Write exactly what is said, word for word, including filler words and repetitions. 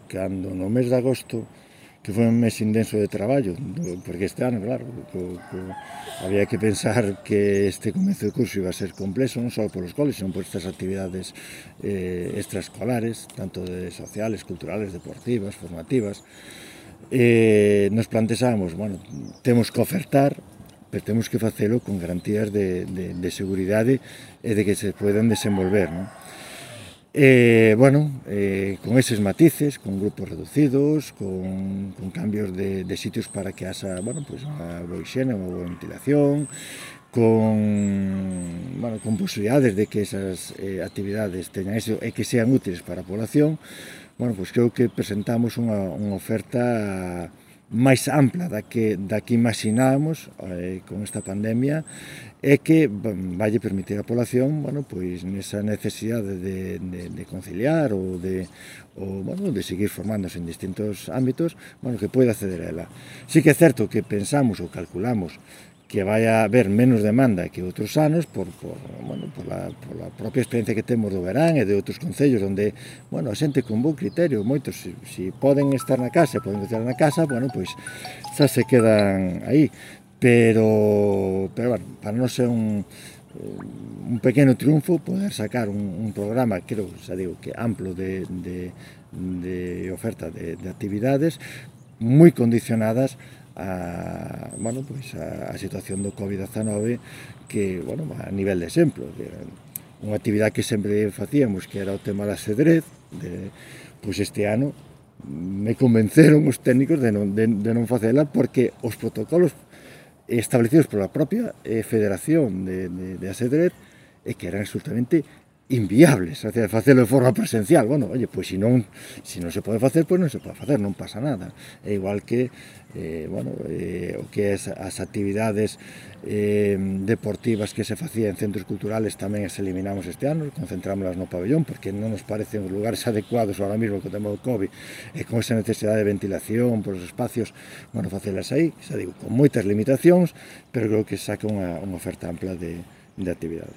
cando no mes de agosto, que foi un mes intenso de traballo, porque este ano, claro, co, co, había que pensar que este comezo de curso iba a ser complexo, non só polos coles, senón por estas actividades eh, extraescolares, tanto de sociales, culturales, deportivas, formativas. Eh, nos plantexamos, bueno, temos que ofertar, pero temos que facelo con garantías de, de, de seguridade e de que se poden desenvolver, non? Eh, bueno, eh, con eses matices, con grupos reducidos, con, con cambios de, de sitios para que haxa, bueno, pues unha boa higiene, unha boa ventilación, con, bueno, con posibilidades de que esas eh, actividades teñan éxito e que sean útiles para a población. Bueno, pues creo que presentamos unha, unha oferta máis ampla da que, da que imaginábamos eh, con esta pandemia e que vai permitir á población, bueno, pois nesa necesidade de, de, de conciliar ou de, ou, bueno, de seguir formándose en distintos ámbitos, bueno, que poida acceder a ela. Sí que é certo que pensamos ou calculamos que vai a haber menos demanda que outros anos por, por, bueno, por, la, por la propia experiencia que temos do verán e de outros concellos onde, bueno, a xente con bon criterio, moitos, se si, si poden estar na casa, poden estar na casa, bueno, pois xa se quedan aí, pero, pero bueno, para non ser un, un pequeno triunfo poder sacar un, un programa, creo, xa digo, que amplo de, de, de oferta de, de actividades moi condicionadas a, bueno, pues a, a situación do covid diecinueve que, bueno, a nivel de exemplo, que unha actividade que sempre facíamos, que era o tema do ajedrez, de, pois este ano me convenceron os técnicos de non, de, de non facela porque os protocolos establecidos pola propia eh, Federación de, de, de ajedrez e que eran absolutamente inviables, o sea, facelo de forma presencial. Bueno, oye, pois se non, se non se pode facer, pois non se pode facer, non pasa nada. É igual que, eh, bueno, eh, o que é as actividades eh, deportivas que se facían en centros culturales tamén as eliminamos este ano, concentrámolas no pabellón, porque non nos parecen os lugares adecuados ahora mismo que temos o COVID, e con esa necesidade de ventilación por os espacios, bueno, facelas aí, xa digo, con moitas limitacións, pero creo que saca unha, unha oferta ampla de, de actividades.